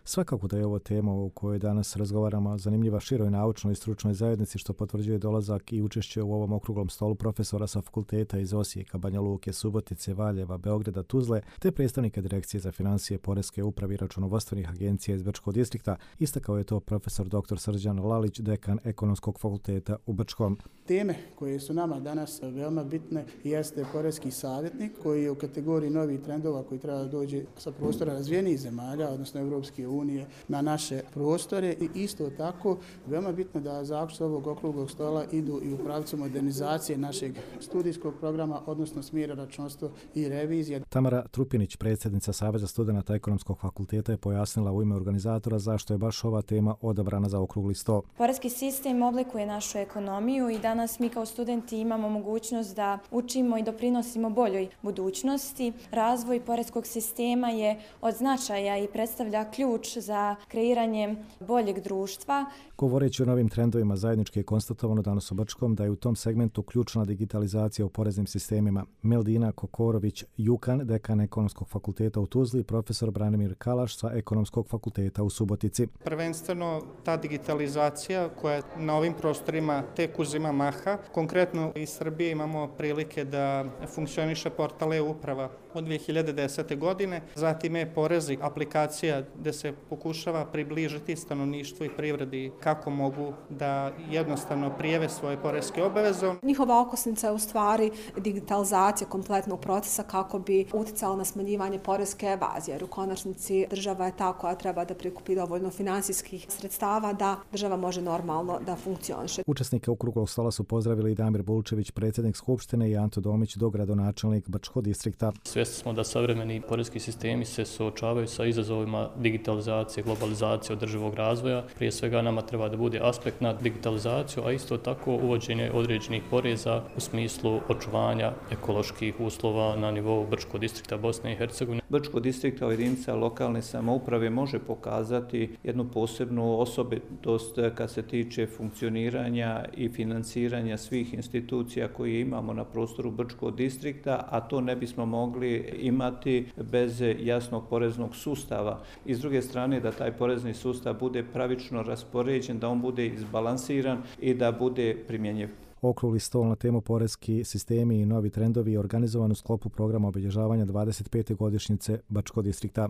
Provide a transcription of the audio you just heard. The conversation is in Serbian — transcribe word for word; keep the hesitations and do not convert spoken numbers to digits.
Svakako da je ovo tema o kojoj danas razgovaramo zanimljiva široj naučnoj i stručnoj zajednici, što potvrđuje dolazak i učešće u ovom okruglom stolu profesora sa fakulteta iz Osijeka, Banja Luke, Subotice, Valjeva, Beograda, Tuzle, te predstavnika Direkcije za financije, poreske uprave i računovodstvenih agencija iz Brčkog distrikta. Istakao je to profesor doktor Srđan Lalić, dekan Ekonomskog fakulteta u Brčkom. Teme koje su nama danas veoma bitne jeste poreski savjetnik koji je u kategoriji novih trendova koji treba da dođe sa prostora razvijenih zemalja, odnosno Evropske unije, na naše prostore i isto tako veoma bitno da zaključci ovog okruglog stola idu i u pravcu modernizacije našeg studijskog programa, odnosno smjera računovodstvo i revizija. Tamara Trupinić, predsjednica Saveza studenata Ekonomskog fakulteta, je pojasnila u ime organizatora zašto je baš ova tema odabrana za okrugli sto. Poreski sistem oblikuje našu ekonomiju i danas mi kao studenti imamo mogućnost da učimo i doprinosimo boljoj budućnosti. Razvoj poreskog sistema je od značaja i predstavlja ključ za kreiranje boljeg društva. Govoreći o novim trendovima, zajednički je konstatovano danas u Brčkom da je u tom segmentu ključna digitalizacija u poreznim sistemima. Meldina Kokorović-Jukan, dekan Ekonomskog fakulteta u Tuzli, i profesor Branimir Kalaš sa Ekonomskog fakulteta u Subotici. Prvenstveno ta digitalizacija koja na ovim prostorima tek uzima maha. Konkretno iz Srbije imamo prilike da funkcioniše portal e-uprava od dvije hiljade desete. godine, zatim e-porezi, aplikacija gde se pokušava približiti stanovništvu i privredi kako mogu da jednostavno prijave svoje poreske obaveze. Njihova okosnica je u stvari digitalizacija kompletnog procesa kako bi uticala na smanjivanje poreske evazije, jer u konačnici država je ta koja treba da prikupi dovoljno finansijskih sredstava da država može normalno da funkcioniše. Učesnike okruglog stola su pozdravili i Damir Bulčević, predsjednik Skupštine, i Anto Domić, dogradonačelnik Brčkog distrikta. Svjesni smo da savremeni poreski sistemi se suočavaju sa izazovima digitalizacije, globalizacije, održivog razvoja. Prije svega nama treba da bude aspekt na digitalizaciju, a isto tako uvođenje određenih poreza u smislu očuvanja ekoloških uslova na nivou Brčkog distrikta Bosne i Hercegovine. Brčkog distrikta kao jedinica lokalne samouprave može pokazati jednu posebnu osobitost kad se tiče funkcioniranja i financiranja svih institucija koje imamo na prostoru Brčkog distrikta, a to ne bismo mogli imati bez jasnog poreznog sustava. I s druge strane da taj porezni sustav bude pravično raspoređen, da on bude izbalansiran i da bude primjenjiv. Okrugli stol na temu poreski sistemi i novi trendovi je organizovan u sklopu programa obilježavanja dvadeset pete godišnjice Brčkog distrikta.